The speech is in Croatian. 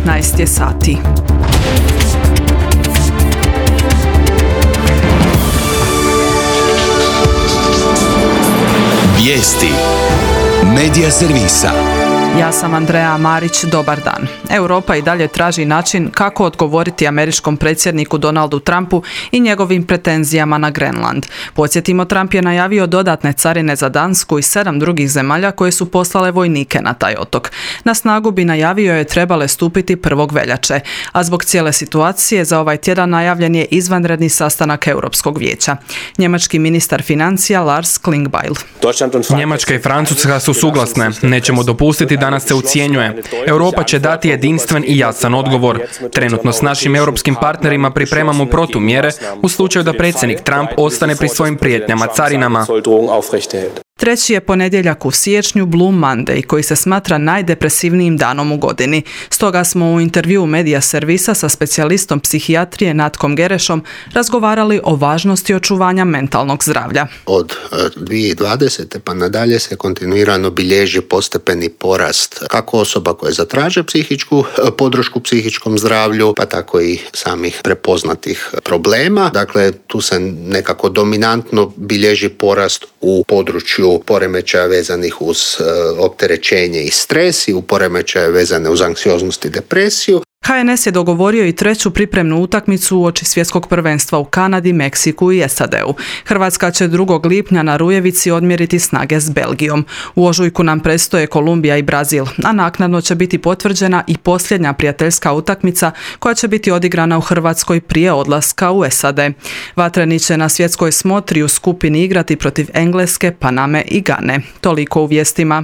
15 je sati. Vijesti Medija servisa. Ja sam Andreja Marić, dobar dan. Europa i dalje traži način kako odgovoriti američkom predsjedniku Donaldu Trumpu i njegovim pretenzijama na Grenland. Podsjetimo, Trump je najavio dodatne carine za Dansku i 7 drugih zemalja koje su poslale vojnike na taj otok. Na snagu bi, najavio je, trebale stupiti 1. veljače, a zbog cijele situacije za ovaj tjedan najavljen je izvanredni sastanak Europskog vijeća. Njemački ministar financija Lars Klingbeil. Njemačka i Francuska su suglasne. Nećemo dopustiti da nas se ucjenjuje. Europa će dati jedinstven i jasan odgovor. Trenutno s našim europskim partnerima pripremamo protumjere u slučaju da predsjednik Trump ostane pri svojim prijetnjama carinama. Treći je ponedjeljak u siječnju Blue Monday, koji se smatra najdepresivnijim danom u godini. Stoga smo u intervjuu Medija servisa sa specijalistom psihijatrije Natkom Gerešom razgovarali o važnosti očuvanja mentalnog zdravlja. Od 2020. pa nadalje se kontinuirano bilježi postepeni porast kako osoba koje zatraže psihičku podršku psihičkom zdravlju, pa tako i samih prepoznatih problema. Dakle, tu se nekako dominantno bilježi porast u području poremećaja vezanih uz opterećenje i stres i u poremećaje vezane uz anksioznost i depresiju. HNS je dogovorio i treću pripremnu utakmicu uoči svjetskog prvenstva u Kanadi, Meksiku i SAD-u. Hrvatska će 2. lipnja na Rujevici odmjeriti snage s Belgijom. U ožujku nam predstoje Kolumbija i Brazil, a naknadno će biti potvrđena i posljednja prijateljska utakmica koja će biti odigrana u Hrvatskoj prije odlaska u SAD. Vatreni će na svjetskoj smotri u skupini igrati protiv Engleske, Paname i Gane. Toliko u vijestima.